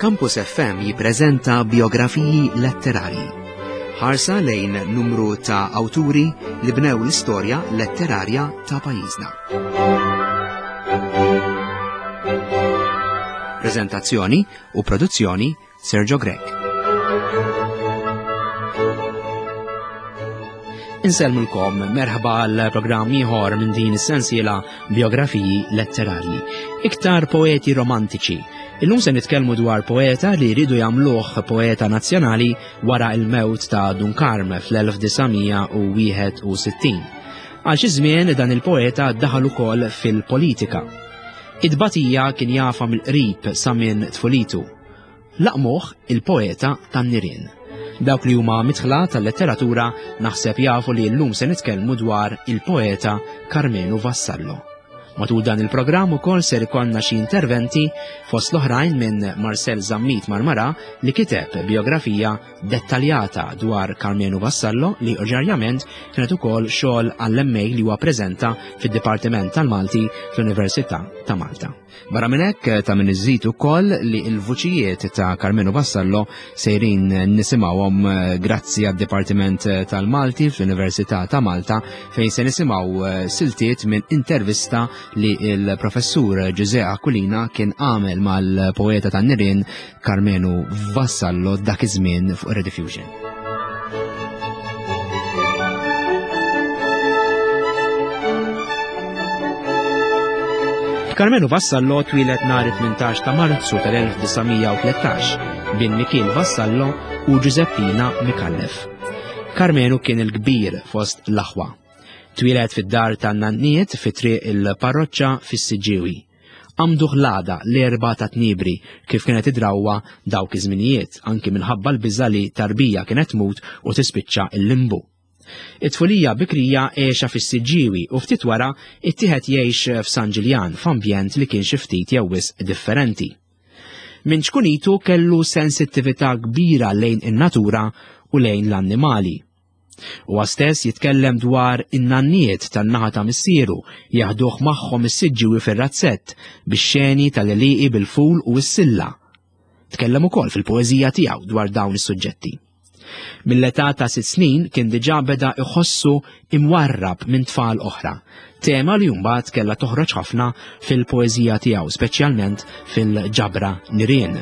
Campus FM jippreżenta biografiji letterarji. Ħarsa lejn numru ta' awturi li bnew l-istorja letterarja ta' pajjiżna. Prezentazzjoni u produzzjoni Sergio Grech. Insellmulkom merħba għal programm ieħor minn din is-sensiela biografiji letterarji. Iktar poeti romantiċi. Illum se nitkellmu dwar poeta li jridu jagħmluh poeta nazzjonali wara il-mewt ta' Dun Karm fl-1961. Għal xi żmien dan il-poeta daħal ukoll fil-politika. Id-batija kien jafa mill-qrib sa minn tfulitu. Laqmuh il-poeta tan-nirien. Dawk li huma mitħla tal-letteratura naħseb jafu li llum se nitkellmu dwar il-poeta Karmenu Vassallo. Matul dan il-programm ukoll ser ikollna xi interventi fost l-oħrajn minn Marcel Zammit Marmara li kiteb biografija dettaljata dwar Karmenu Vassallo li oġarjament kienet ukoll xogħol għall-MA li huwa preżenta fid-Dipartiment tal-Malti fl-Università ta' Malta. Barra minn hekk ta' min iżid ukoll li l-vuċijiet ta' Carmenu Vassallo sejrin nisimgħuhom eh, grazzi għad-Dipartiment tal-Malti fl-Università ta' Malta fejn se nisimgħu eh, siltiet minn intervista li l-professur Ġuże Aquilina kien għamel mal-poeta tan-nirien Carmenu Vassallo dak iż-żmien fuq Rediffusion. Carmenu Vassallo twieled nhar 18 ta' Marzu tal-1913 bin Mikiel Vassallo u Giuseppina Mikallef. Carmenu kien il-kbir fost l-aħwa. Twieled fid-dar tan-nanniet fi triq il-parroċċa fis-Siġġiewi. Għamduh l-għada l-Erbgħa ta' Tniebri kif kienet id-drawwa dawk iż-żminijiet anki minħabba l-biża' li tarbija kienet tmut u tispiċċa l-limbu. It-tfulija bikrija għexha fis-Siġġiewi u ftit wara ittieħed jgħix f'San Ġiljan f'ambjent li kien xi ftit jew wisq differenti. Minn ċkunitu kellu sensittività kbira lejn in-natura u lejn l-annimali. Huwa stess jitkellem dwar in-nanniet tan-naħa ta' missieru jaħduh magħhom is-Siġġiewi fir-razzett bix-xeni tal-għelieqi bil-ful u s-silla. Tkellem ukoll fil-poeżija tiegħu dwar dawn is-suġġetti. Mill-età ta' sitt snin kien diġà beda iħossu imwarrab minn tfal oħra, tema li mbagħad kellha toħroġ ħafna fil-poeżija tiegħu, speċjalment fil-ġabra Nirien.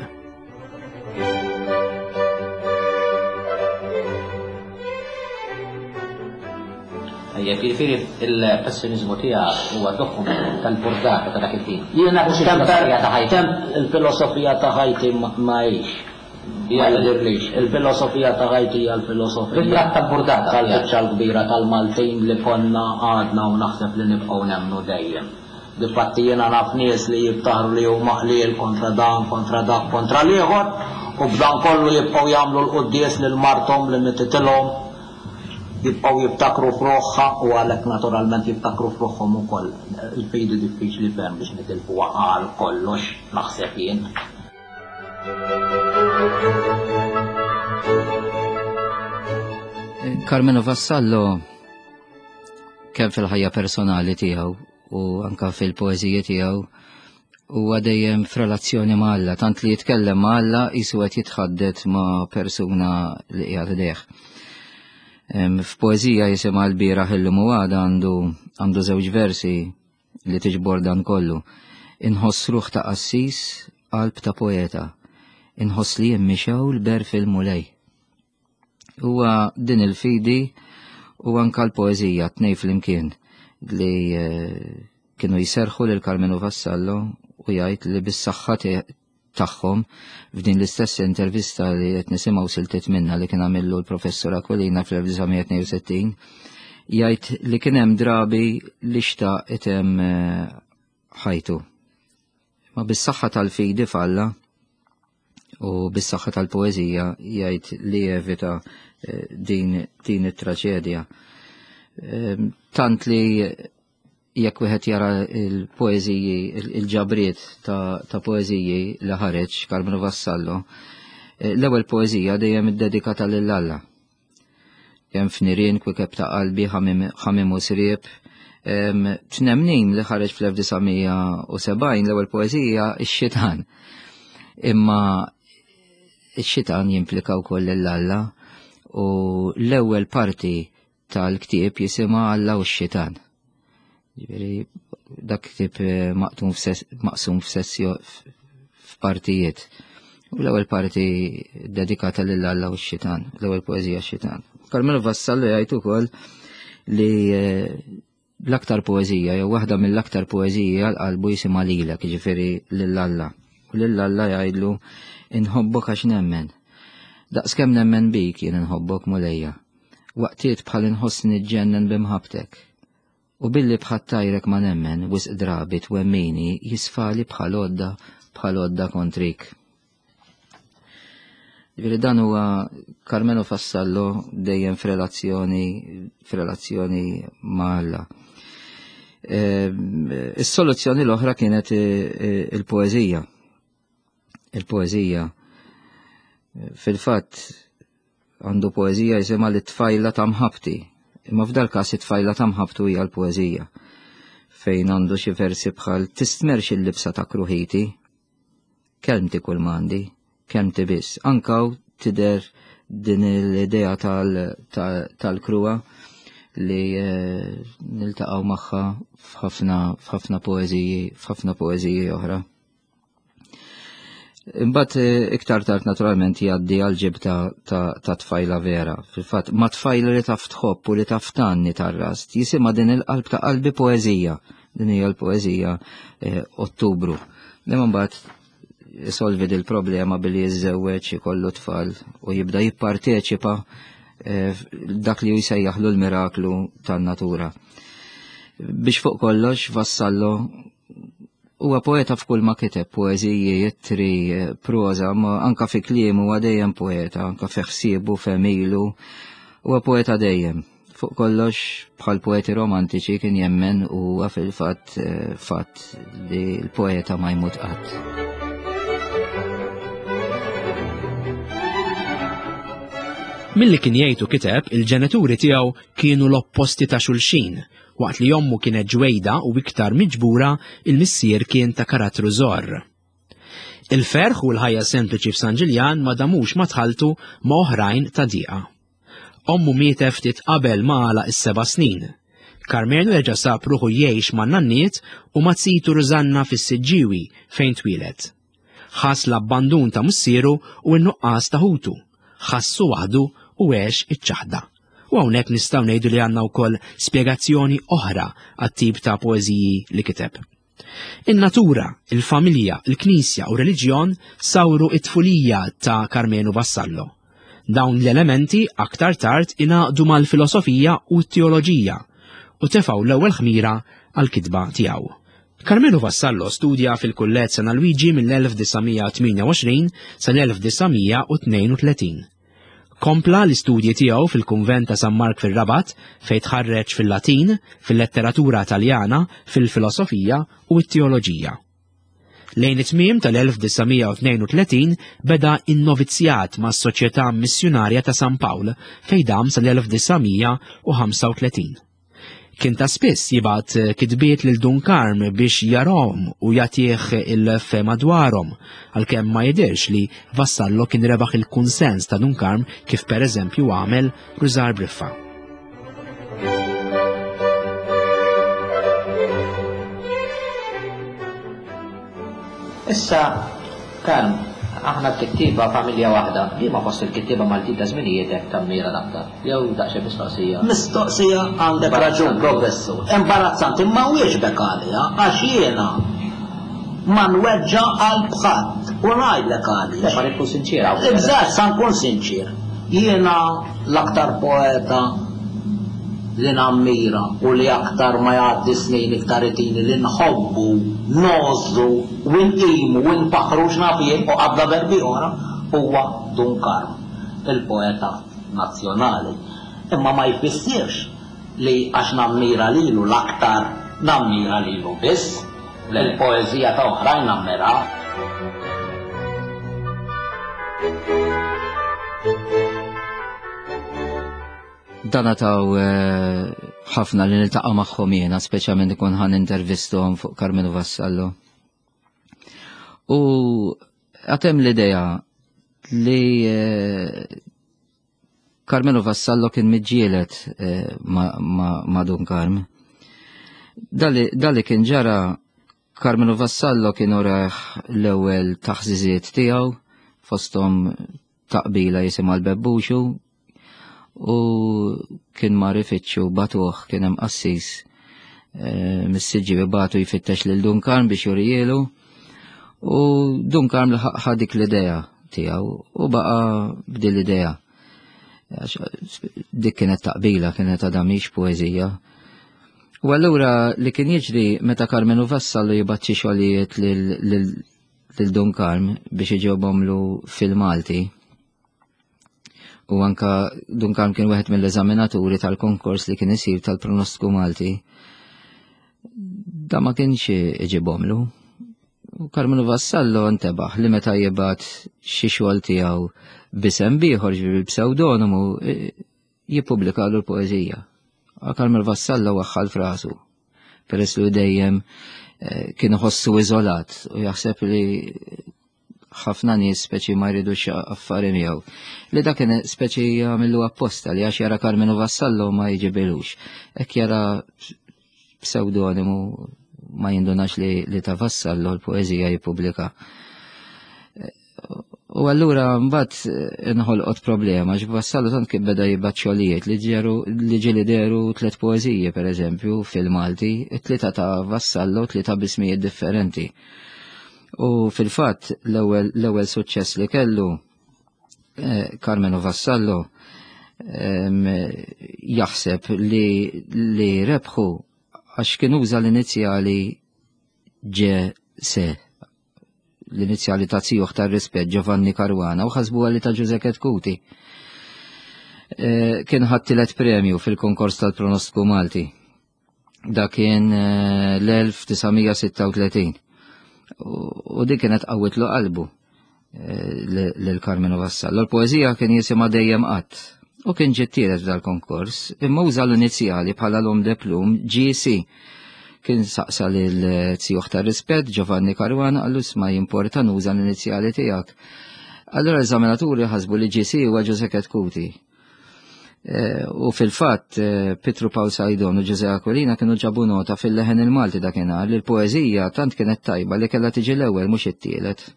Tajjeb, jiġifieri il-pessimizmu tiegħek huwa dokument tal-burdata ta' dak il-ħin. Jiena filosofija ta' ħajti. Il-filosofija ta' ħajti ma hix. Ma jidhirlix. Il-filosofija ta' ħajti hija l-filosofija. Ritratt tal-burdata. Tal-biċċa l-kbira tal-Maltin li konna, għadna u naħseb li nibqgħu nemmnu dejjem. Difatti jiena naf nies li jiftaħru li huma qliel kontra dan, kontra dak, kontra l-ieħor, u b'dan kollu jibqgħu jagħmlu l-quddies lil marthom li mititilhom, jibqgħu jiftakru f'ruħha u għalhekk naturalment jiftakru f'ruħhom ukoll. Il-fidi diffiċli ferm biex nitilfuha għal kollox, naħseb jien. Carmelo Vassallo kemm fil-ħajja personali tiegħu u anka fil-poeżiji tiegħu huwa dejjem f'relazzjoni ma' Alla, tant li jitkellem ma' Alla jisu qed jitħaddet ma' persuna li qiegħed idejh. F'poeżija jisimha l-bieraħ illum u għada għandu għandu żewġ versi li tiġbor dan kollu. Inħoss ruħ ta' qassis, qalb ta' poeta. Inħoss li jien mixew l-ber fil-mulej. Huwa din il-fidi u anka l-poeżija tnej flimkien li eh, kienu jiserħu lil Carmenu Vassallo u jgħid li bis-saħħa tagħhom f'din l-istess intervista li qed nisimgħu siltiet minna li kien għamillu l-professur Aquilina fl-1962 jgħid li kien hemm drabi li xtaq item eh, ħajtu. Ma bis-saħħa tal-fidi f'Alla u bis-saħħa tal-poeżija jgħid li jevita eh, din, din it-traġedja. Ehm, tant li jekk wieħed jara il-poeżiji, il-ġabriet ta', ta poeżiji li ħareġ Carmelo Vassallo, eh, l-ewwel poeżija dejjem iddedikata lil Alla. Kemm f'nirien kwikeb ta' qalbi ħamim u sriep. Tnemnin li ħareġ fl-1970 l-ewwel poeżija ix-xitan. Imma Ix-xitan jimplika wkoll lil Alla u l-ewwel parti tal-ktieb jisimha Alla u x-xitan. Ġifieri dak ktieb eh, maqtum maqsum f'sessjo f'partijiet. U l-ewwel parti dedikata lil Alla u x-xitan, l-ewwel poeżija x-xitan. Carmelo Vassallo jgħid ukoll li eh, l-aktar poeżija jew waħda mill-aktar poeżiji għal qalbu jisimha lilek, jiġifieri lil Alla. U lil Alla jgħidlu inħobbok għax nemmen. Daqskemm nemmen bik jien inħobbok Mulejja. Waqtiet bħal inħossni niġġennen b'imħabbtek. U billi bħat-tajrek ma nemmen, wisq drabi twemmini jisfali bħal għodda bħal għodda kontrik. Ġifieri dan huwa Carmelo Fassallo dejjem f'relazzjoni f'relazzjoni ma' Alla. Ehm, is-soluzzjoni l-oħra kienet eh, eh, il-poeżija. Il-poeżija fil-fatt għandu poeżija jisimha li tfajla ta' mħabti. Imma f'dal każ it-tfajla ta' mħabtu hija l-poeżija fejn għandu xi versi bħal tistmerx il-libsa ta' kruħiti, kelmti kull m'għandi, kelmti biss. Anka tidher din l-idea tal-kruha li eh, niltaqgħu magħha f'ħafna f'ħafna poeżiji f'ħafna poeżiji oħra. Imbagħad eh, iktar tard naturalment jgħaddi għal ġibta ta' tfajla vera. Fil-fatt ma' tfajla li taf tħobb u li taf tanni tar-rast, jisimha din il-qalb ta' qalbi poeżija. Din hija l-poeżija eh, Ottubru. Imma mbagħad isolvi dil problema billi jiżżewweġ ikollu tfal u jibda jipparteċipa eh, dak li jsejjaħlu l-miraklu tan-natura. Biex fuq kollox Vassallo Huwa poeta f'kull ma kiteb, poeżiji, ittri, proża, ma anka fi kliemu huwa dejjem poeta, anka fi ħsiebu, f'għemilu, huwa poeta dejjem. Fuq kollox, bħal poeti romantiċi kien jemmen u huwa fil-fatt eh, fatt li l-poeta ma jmut qatt. Milli kien jgħid u kiteb, il-ġenituri tiegħu kienu l-opposti ta' xulxin Waqt li ommu kienet ġwejda u iktar miġbura, il-missier kien ta' karattru żorr. Il-ferħ u l-ħajja sempliċi f'San Ġiljan ma damux ma tħalltu ma' oħrajn ta' diqa. Ommu mietet ftit qabel ma għalaq is-seba' snin. Karmenu reġa' sab ruħu jgħix man-nanniet u ma' zitu Rużanna fis-Siġġiewi fejn twieled. Ħass l-abbandun ta' missieru u n-nuqqas ta' ħutu. Ħassu waħdu u għex iċ-ċaħda. U hawnhekk nistgħu ngħidu li għandna wkoll spjegazzjoni oħra għat-tip ta' poeżiji li kiteb. In-natura, il-familja, il-knisja u reliġjon sawru it-tfulija ta' Karmenu Vassallo. Dawn l-elementi aktar tard ingħaqdu mal-filosofija u t-teoloġija u tefgħu l-ewwel ħmira għall-kitba tiegħu. Carmelo Vassallo studja fil-Kulleġġ San Alwiġi mill-1928 sal-1932. Kompla l-istudji tiegħu fil-Kunvent ta' San Mark fir-Rabat fejn tħarreġ fil-Latin, fil-letteratura Taljana, fil-filosofija u t-teoloġija. Lejn it-tmiem tal-1932 beda n-novizzjat mas-Soċjetà Missjunarja ta' San Pawl fejn dam sal-1935. Kien ta' spiss jibgħat kitbiet lil Dun Karm biex jarahom u jagħtih il-fehma dwarhom, għalkemm ma jidhirx li Vassallo kien rebaħ il-kunsens ta' Dun Karm kif pereżempju għamel Rużar Briffa. Issa, Karm, aħna l-kittieba familja waħda, liema fost il-kittieba Maltin ta' żminijietek tammira l-aktar? Jew daqsxejn mistoqsija. Mistoqsija għandek raġun, Professur. Imbarazzanti, imma wieġbek għaliha għax jiena ma nweġġa' qalb ħadd u ngħidlek għaliex. Le, ma rrid tkun sinċier hawn. Eżatt, sa nkun sinċier. Jiena l-aktar poeta li nammira u li aktar ma jgħaddi snin iktar itini li nħobbu, ngħożżu u nqimu u nfaħħru x'naf jien u qabda verbi oħra huwa Dun Karm, il-poeta nazzjonali. Imma ma jfissirx li għax nammira lilu l-aktar nammira lilu biss. Il-poeżija ta' oħrajn nammirha. Dana taw eh, ħafna li niltaqa' magħhom jiena, speċjalment ikun ħan intervistom fuq Carmelo Vassallo. U għatem l-idea li eh, Carmelo Vassallo kien miġġielet eh, ma' Dun Karm. Dali kien ġara Carmelo Vassallo kien oraħ l-ewwel taħżiżiet tiegħu fosthom taqbila jisimha l-bebbuxu u kien mar ifittxu batuh kien hemm qassis eh, mis-siġġi batu jfittex lil Dun Karm biex jurijielu u Dun Karm ħa dik l-idea tiegħu u baqa' b'din l-idea. Dik kienet taqbila, kienet għadha mhix poeżija. U allura li kien jiġri meta Karmenu Vassallo jibgħat xi xogħlijiet lil Dun Karm biex iġobhomlu fil-Malti. U anka Dun Karm kien wieħed mill-eżaminaturi tal-konkors li kien isir tal-pronostiku Malti. Da ma kienx iġibhomlu. U Karmenu Vassallo ntebaħ li meta jibgħat xi xogħol tiegħu b'isem bieħor ġifieri psewdonimu jippubblikalu l-poeżija. Carmel Vassallo waħħal frasu, peress li dejjem eh, kien iħossu iżolat u jaħseb li ħafna nies speċi ma jridux affari miegħu. Li dak kien speċi jagħmillu apposta li għax jara Carmenu Vassallo ma jiġibilux. Hekk jara pseudonimu ma jindunax li, li ta' Vassallo l-poeżija jippubblika. U allura mbagħad eh, inħolqot problema għax Vassallo tant kif beda jibgħat xogħlijiet li ġeru li ġieli deru tliet poeżiji pereżempju fil-Malti, it-tlieta ta' Vassallo tlieta bismijiet differenti. U fil-fatt l-ewwel l-ewwel suċċess li kellu eh, Carmelo Vassallo jaħseb li li rebħu għax kien uża l-inizjali ġe se l-inizjali ta' zijuh tar-rispett Giovanni Caruana u ħasbuha li ta' Ġuże Ketkuti. Eh, kien ħadd tielet premju fil-konkors tal-pronostiku Malti. Da kien eh, l-1936. U dik kienet qawwitlu qalbu eh, lil Carmelo Vassallo. L-poeżija kien jisimha dejjem qatt. U kien ġiet tielet f'dal-konkors, imma uża l-inizjali bħala l-om de plum GC. Kien saqsa lil zijuh tar-rispett Giovanni Caruana qallu isma' jimporta nuża l-inizjali tiegħek. Allura l-eżaminaturi ħasbu li GC huwa Ġuże Ketkuti. Eh, u fil-fatt eh, Pietru Pawl Sajdon u Ġuże Aquilina kienu ġabu nota fil-leħen il-Malti dakinhar li l-poeżija tant kienet tajba li kellha tiġi l-ewwel mhux it-tielet.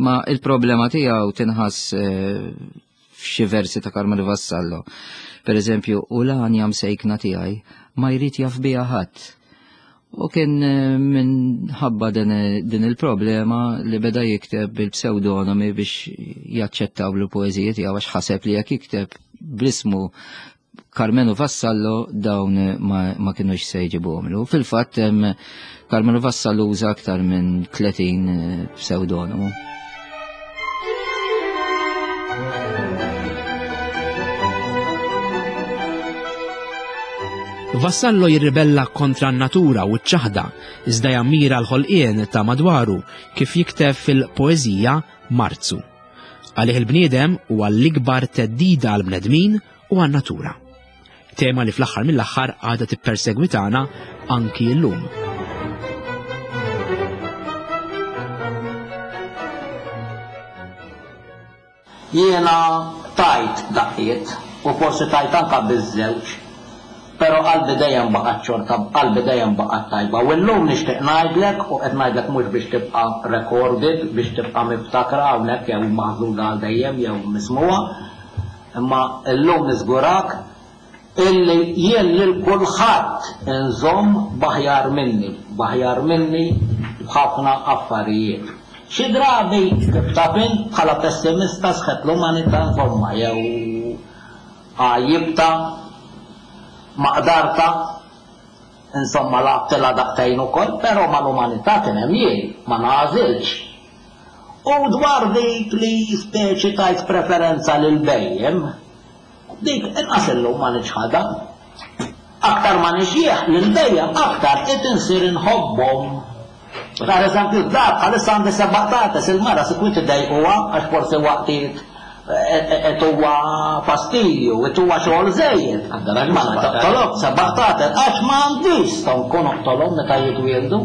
Ma il-problema tiegħu tinħass eh, f'xi versi ta' Carmelo Vassallo. Per eżempju, u l-għanja msejkna tiegħi ma jrid jaf biha ħadd. U kien eh, minħabba din il-problema li beda jikteb bil-pseudonomi biex jaċċettaw l-poeżiji tiegħu għax ħaseb li jekk jikteb bl-ismu Carmenu Vassallo dawn ma, ma kienux se jġibuhomlu. Fil-fatt Carmenu Vassallo uża aktar minn 30 eh, pseudonimu. Vassallo jirribella kontra n-natura u ċ-ċaħda, iżda jammira l-ħolqien ta' madwaru kif jikteb fil-poeżija Marzu. Għalih il-bniedem huwa l-ikbar theddida għall-bnedmin u għan-natura. Tema li fl-aħħar mill-aħħar għadha tippersegwitana anki llum. Jiena tajt daqqiet u forsi tajt anka biż-żewġ Però qalbi dejjem baqgħet xorta, qalbi dejjem baqgħet tajba. U llum nixtieq ngħidlek, u qed ngħidlek mhux biex tibqa' recorded, biex tibqa' miftakra hawnhekk jew maħżuna għal dejjem jew mismugħa, imma llum niżgurak illi jien lil kulħadd inżomm b'aħjar minni, b'aħjar minni f'ħafna affarijiet. Xi drabi, kif taf int, bħala pessimista sħet l-umanità insomma jew Għajjibtha, maqdartha, insomma lgħabtilha daqtejn ukoll, però mal-umanità kien hemm jien, ma nagħżilx. U dwar dik li speċi tajt preferenza lill-bhejjem, dik inqas illum ma niċħadha. Aktar ma nixjieħ, lill-bhejjem aktar qed insir inħobbhom. Per eżempju, d-dar bħalissa għandi seba' qtates, il-mara sikwit idejquha għax forsi waqtiet qed huwa fastidju, qed huwa xogħol żejjed. Ma toqtolhom seba' qtates għax ma għandix stonku noqtolhom meta jitwieldu.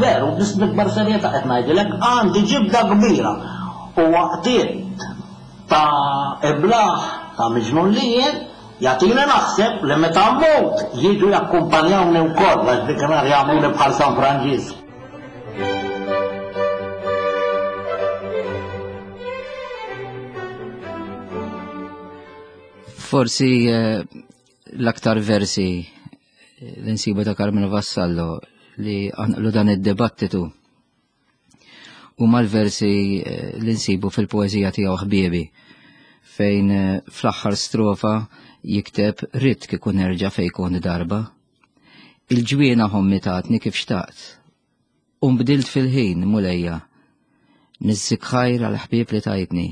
Veru, biss bl-ikbar serjetà qed ngħidilek, għandi ġibda kbira. U waqtiet ta' iblah, ta' miġnun li jien, jagħtini naħseb li meta mmut jiġu jakkumpanjawni wkoll għax dikinhar jagħmluni bħal San Franġisk. Forsi eh, l-aktar versi eh, li nsibu ta' Carmelo Vassallo li għanqlu dan id-dibattitu huma l-versi eh, li nsibu fil-poeżija tiegħu ħbiebi fejn eh, fl-aħħar strofa jikteb ridt kieku nerġa' fejn kont darba. Il-ġwiena ħommi tatni kif xtaqt. U nbdilt fil-ħin, Mulejja. Niżżik ħajr għall-ħbieb li tajtni.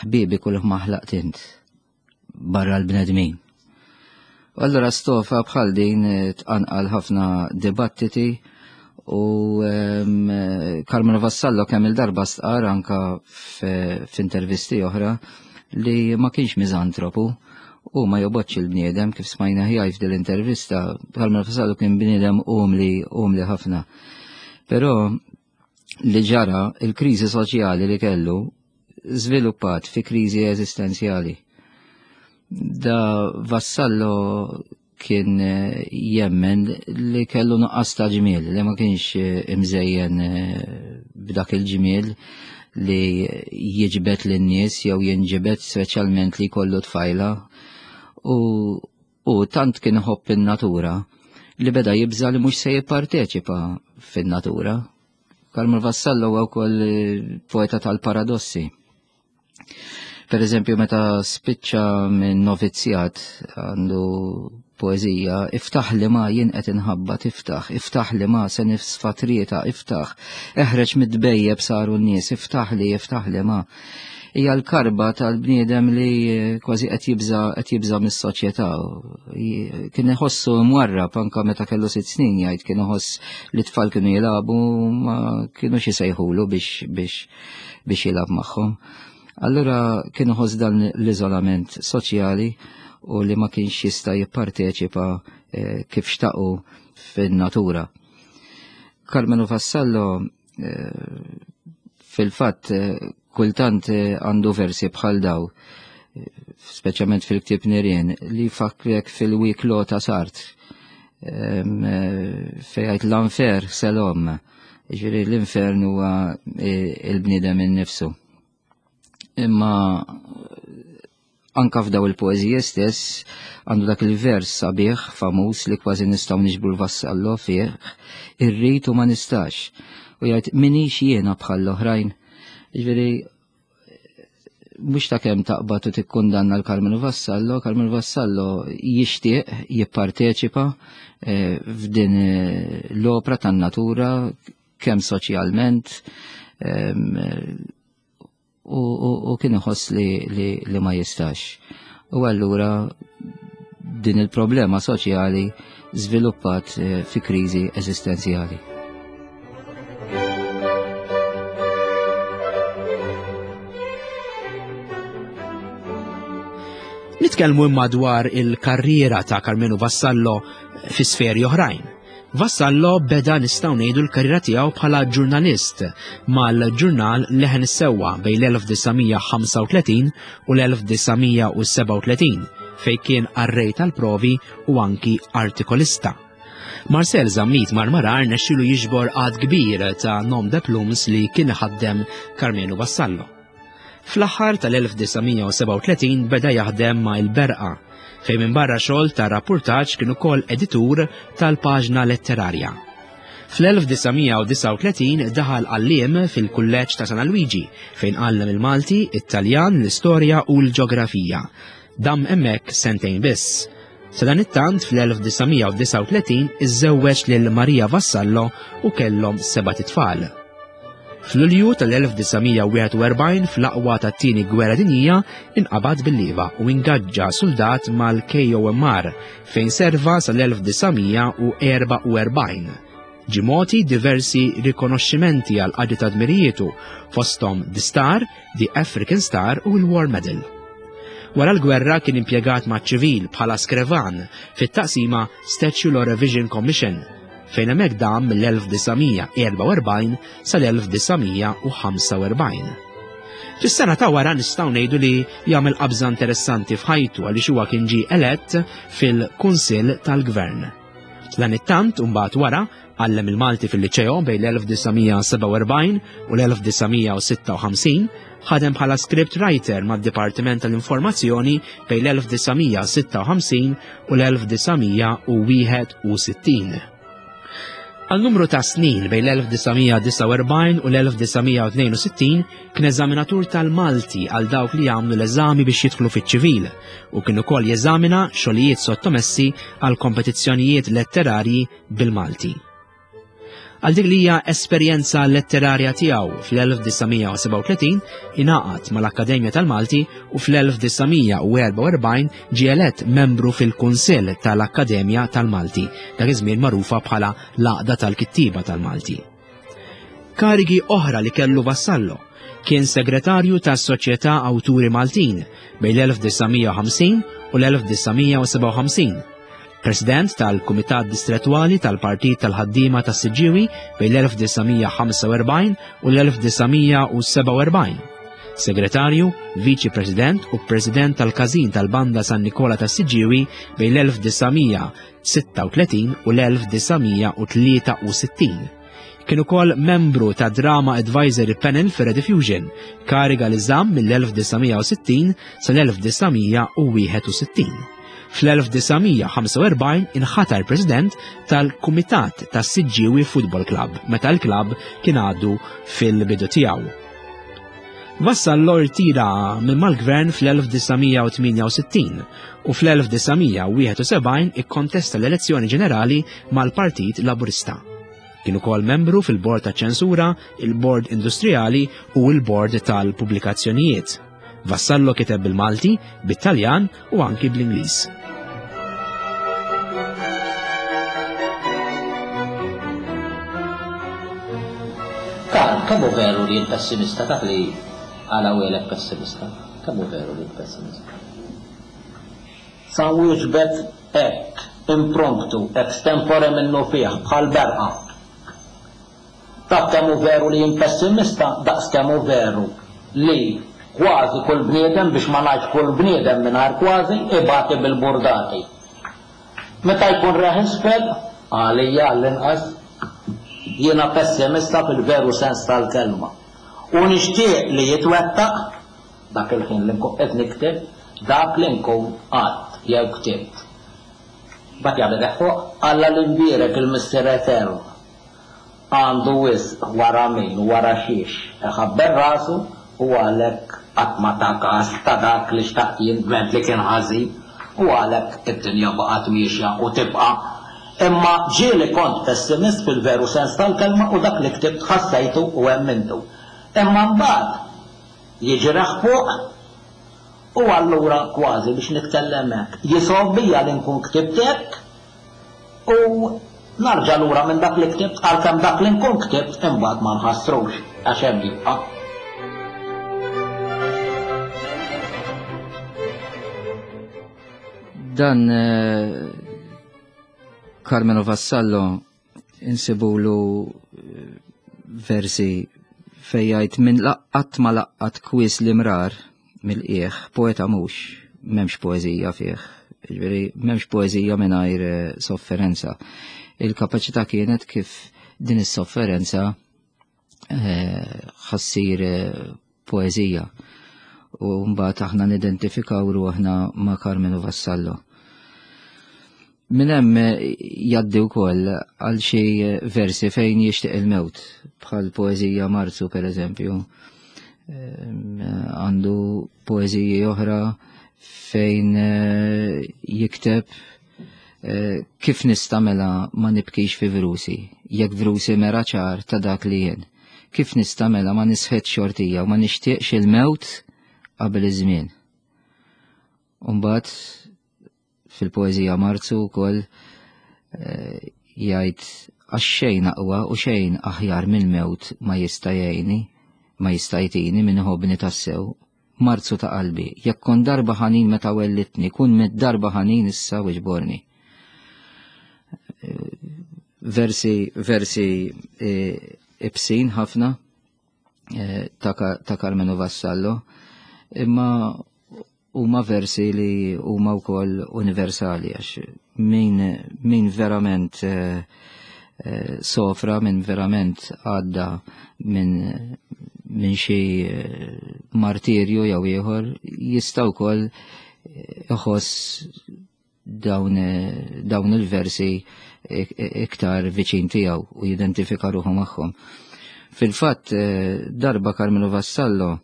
Ħbiebi kull ma ħlaqt int. Barra l-bnedmin. U allura stofa bħal din eh, tqanqal ħafna dibattiti u ehm, Carmelo Vassallo kemm il-darba stqar anka f'intervisti oħra li ma kienx miżantropu u ma jobgħodx il-bniedem kif smajna ħjaj f'dil intervista Carmelo Vassallo kien bniedem umli umli ħafna. Però li ġara il-kriżi soċjali li kellu żviluppat fi kriżi eżistenzjali. Da Vassallo kien eh, jemmen li kellu nuqqas ta' ġmiel, li ma kienx eh, imżejjen eh, b'dak il-ġmiel li jiġbed lin-nies jew jinġibed speċjalment li jkollu tfajla u u tant kien iħobb in-natura li beda jibża li mhux se jipparteċipa fin-natura. Karmel Vassallo huwa wkoll eh, poeta tal-paradossi. Per eżempju, meta spiċċa minn novizzjat għandu poezija, iftaħ li ma jien qed inħabba tiftaħ, iftaħ li ma se nifsfa trieta, iftaħ, eħreġ mid-dbejjeb saru n-nies, iftaħ li, iftaħ li ma. Hija l-karba tal-bniedem li eh, kważi qed jibża qed jibża mis-soċjetà. Kien iħossu mwarrab anka meta kellu sitt snin jgħid kien iħoss li tfal kienu jilagħbu ma kienux isejħulu biex biex biex jilgħab magħhom. Allura kien iħoss dan l-iżolament soċjali u li ma kienx jista' jipparteċipa eh, kif xtaqu fin-natura. Carmelo Vassallo fil-fatt eh, kultant eh, għandu versi bħal daw, eh, speċjalment fil-ktib Nirien, li fakrek fil-wiklo ta' Sart, fejgħajt l-anfer selom, ġiri l-infern huwa il-bniedem innifsu. Imma anka f'daw il-poeżiji stess għandu dak il-vers sabiħ famuż li kważi nistgħu niġbru l-vassallo fih, irrid u ma nistax. U jgħid minix jiena bħal l-oħrajn. Ġifieri mhux ta' kemm taqbad u tikkundanna l-Carmelo Vassallo, Carmelo Vassallo jixtieq jipparteċipa eh, f'din eh, l-opra tan-natura kemm soċjalment u kien iħoss li, li, li ma jistax. U allura din il-problema soċjali żviluppat eh, fi kriżi eżistenzjali. Nitkellmu imma dwar il-karriera ta' Carmenu Vassallo fi sferi oħrajn. Vassallo beda nistgħu ngħidu l-karriera tiegħu bħala ġurnalist mal-ġurnal Leħen is-Sewwa bejn l-1935 u l-1937 fejn kien qarrej tal-provi u anki artikolista. Marcel Zammit Marmarar nexxilu jiġbor għad kbir ta' nom de plumes li kien iħaddem Carmenu Vassallo. Fl-aħħar tal-1937 beda jaħdem ma' Il-Berqa, fejn minbarra xogħol ta' rappurtaġġ kien ukoll editur tal-paġna letterarja. Fl-1939 daħal għalliem fil-Kulleġġ ta' San Alwiġi fejn għallem il-Malti, it-Taljan, l-Istorja u l-Ġografija. Dam hemmhekk sentejn biss. Sadanittant fl-1939 iżżewweġ lil Maria Vassallo u kellhom sebat itfal. F'Lulju tal-1941 fl-aqwa tat-Tieni Gwerra Dinjija inqabad bil-lieva u ingaġġa suldat mal-KOMR fejn serva sal-1944. Ġie mogħti diversi rikonoxximenti għal qadi ta' dmirijietu fosthom The Star, The African Star u l-War Medal. Wara l-gwerra kien impjegat maċ-ċivil bħala skrevan fit-taqsima Statue Law Revision Commission fejn hemmhekk dam mill-1944 sal-1945. Fis-sena ta' wara nistgħu ngħidu li jagħmel qabża interessanti f'ħajtu għaliex huwa kien ġie elett fil-Kunsill tal-Gvern. Dan it-tant mbagħad wara għallem il-Malti fil-Liċeo bejn l-1947 u l-1956, ħadem bħala script writer mad-Dipartiment tal-Informazzjoni bejn l-1956 u l-1961. Għal numru ta' snin bejn l-1949 u l-1962 kien eżaminatur tal-Malti għal dawk li jagħmlu l-eżami biex jidħlu fiċ-ċivil u kien ukoll jeżamina xogħlijiet sottomessi għal kompetizzjonijiet letterarji bil-Malti. Għal dik li hija esperjenza letterarja tiegħu fl-1937 ingħaqad mal-Akkademja tal-Malti u fl-1944 ġie elett membru fil-Kunsill tal-Akkademja tal-Malti, dak iż-żmien magħrufa bħala l-Għaqda tal-Kittieba tal-Malti. Karigi oħra li kellu Vassallo kien segretarju tas-Soċjetà Awturi Maltin bejn l-1950 u l-1957, President tal-Kumitat Distrettwali tal-Partit tal-Ħaddiema tas-Siġġiewi bejn l-1945 u l-1947. Segretarju, Viċi President u President tal-Każin tal-Banda San Nikola tas-Siġġiewi bejn l-1936 u l-1963. Kien ukoll membru ta' Drama Advisory Panel fi Rediffusion, kariga li żamm mill-1960 sal-1961. Fl-1945 inħatar President tal-Kumitat tas-Siġġiewi Football Club meta l-klabb kien għadu fil-bidu tiegħu. Vassallo rtira minn mal-gvern fl-1968 u fl-1971 ikkontesta l-elezzjoni ġenerali mal-Partit Laburista. Kien ukoll membru fil-Bord ta' Ċensura, il-Bord Industrijali u l-Bord tal-Pubblikazzjonijiet. Vassallo kiteb bil-Malti, bit-Taljan u anki bl-Ingliż. Karl, kemm hu veru li int pessimista? Taf li għala wielek pessimista? Kemm hu veru li int pessimista? Sa wieġbet hekk, impromptu, extempore minnufih, bħal berqa. Taf kemm hu veru li jien pessimista daqs kemm hu veru li kważi kull bniedem, biex ma ngħidx kull bniedem mingħajr kważi, ibati bil-burdati. Meta jkun reħ isfel, għalija għall-inqas, jiena pessimista fil-veru sens tal-kelma. U nixtieq li jitwettaq, dak il-ħin li nkun qed nikteb, dak li nkun għedt jew ktibt. Mbagħad jagħmel reħ fuq. Alla l-Imbierek, il-Missier Etern, Għandu wisq wara min u wara xiex iħabbel rasu u għalhekk qatt ma ta kas ta' dak li xtaqt jien dment li kien ħażin u għalhekk id-dinja baqgħet miexja u tibqa'. Imma ġieli kont pessimist fil-veru sens tal-kelma u dak li ktibt ħassejtu u emmintu. Imma mbagħad jiġi reħ fuq u allura kważi biex nitkellem hekk jisgħobbija li nkun ktibt hekk U narġa' lura minn dak li ktibt għalkemm dak li nkun ktibt imbagħad ma nħassrux għax hemm jibqa'. Dan eh, Carmelo Vassallo insibulu eh, versi fejn jgħid minn laqqat ma laqqat kwies l-imrar mill-qiegħ, poeta mhux, m'hemmx poeżija fih. Ġifieri m'hemmx poeżija mingħajr eh, sofferenza. Il-kapaċità kienet kif din is-sofferenza eh, ħassir eh, poeżija. U mbagħad aħna nidentifikaw ruħna ma' Carmelo Vassallo. Minn hemm jgħaddi wkoll għal xi versi fejn jixtieq il-mewt, bħal poeżija Marzu pereżempju. Ehm, għandu poeżiji oħra fejn eh, jikteb eh, kif nista' mela ma nibkix fi vrusi, jekk vrusi mera ċar ta' dak li jien. Kif nista' mela ma nisħet xortija u ma nixtieqx il-mewt qabel iż-żmien. Umbagħad Fil-poeżija Marzu wkoll eh, jgħid għax xejn aqwa u xejn aħjar mill-mewt ma jista' jgħinni, ma jista' jtini min iħobbni tassew. Marzu ta' qalbi, jekk kont darba ħanin meta wellitni, kun mit darba ħanin issa u ġborni. Eh, versi, versi eh, ibsin ħafna. eh, ta' Carmenu Vassallo, imma huma versi li huma wkoll universali għax min, min verament eh, eh, sofra, min verament għadda minn min xi martirju jew ieħor jista' wkoll iħoss dawn, dawn il-versi iktar viċin tiegħu u jidentifika ruħu magħhom. Fil-fatt, eh, darba Carmelo Vassallo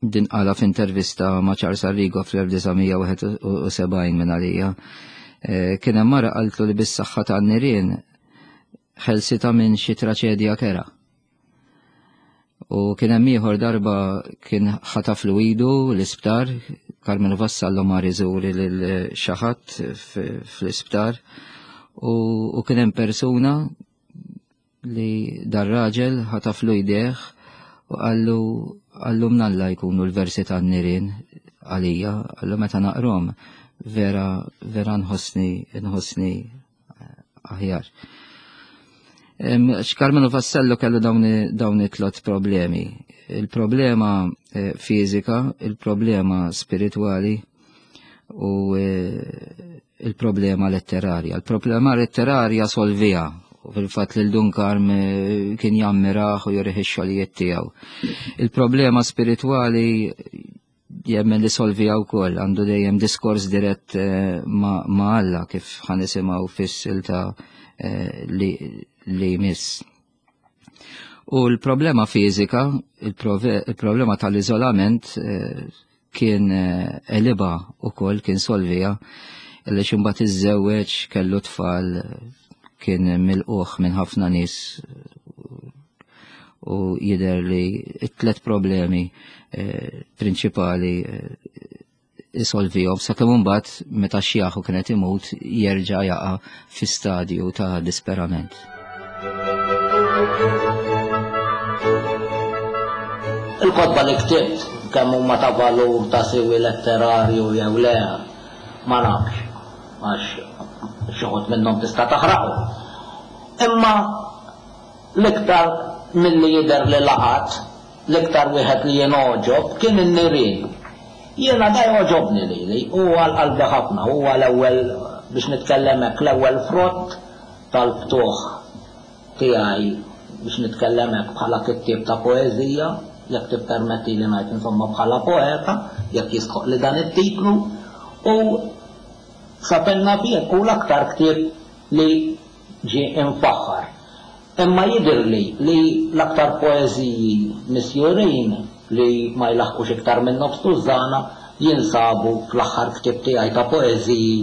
din qala f'intervista ma' Charles Arrigo fl-1971 minn għalija. Eh, kien hemm mara qaltlu li bis-saħħa tan-nirien ħelsita minn xi traċedja kera. U kien hemm ieħor darba kien ħataflu idu l-isptar, Carmelo Vassallo mar iżuri lil xi ħadd fl-isptar u kien hemm persuna li dar-raġel ħataflu jdejh u qallu qallu mnalla jkunu l-versi tan-nirien għalija, qallu meta naqrom vera vera nħossni nħossni aħjar. X'Carmelo Vassallo kellu dawn it-tlot problemi. Il-problema eh, fiżika, il-problema spiritwali u eh, il-problema letterarja. Il-problema letterarja solvija u fil-fatt lil Dun Karm eh, kien jammiraħ u jurih ix-xogħlijiet tiegħu. Il-problema spiritwali jemmen li solvija wkoll għandu dejjem diskors dirett eh, ma' Alla kif ħanisimgħu fis-silta eh, li jmiss. U l-problema fiżika, il-problema tal-iżolament eh, kien eliba u koll kien solvija illi xumbat iżżewweġ kellu tfal kien milquħ minn ħafna nies u jidher li t-tlet problemi eh, prinċipali eh, isolvihom sakemm imbagħad meta xjaħu kienet imut jerġa' jaqa' fi stadju ta' disperament. Il-kotba li ktibt kemm huma ta' valur ta' siwi letterarju jew le ma nafx għax xi wħud minnhom tista' taħraqhom. Imma L-iktar milli jidher li laqat, l-iktar wieħed li jingħoġob kien in-nirien. Jiena da jogħġobni lili, hu għal qalbi ħafna, huwa l-ewwel, biex nitkellem hekk, l-ewwel frott tal-ftuħ tiegħi, biex nitkellem hekk, bħala kittieb ta' poeżija, jekk tippermettili ngħid insomma bħala poeta, jekk jistħoqqli dan it-titlu, u sa fejn naf jien hu l-aktar ktieb li ġie imfaħħar. Imma jidhirli li l-aktar poeżiji misjurin, li ma jlaħħqux iktar minn nofs tużżana, jinsabu fl-aħħar ktieb tiegħi ta' poeżiji,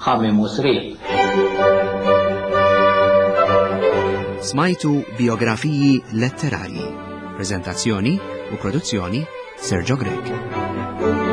Ħamiem u Sriep. Smajtu Bijografiji Letterarji. Preżentazzjoni u produzzjoni Sergio Grech.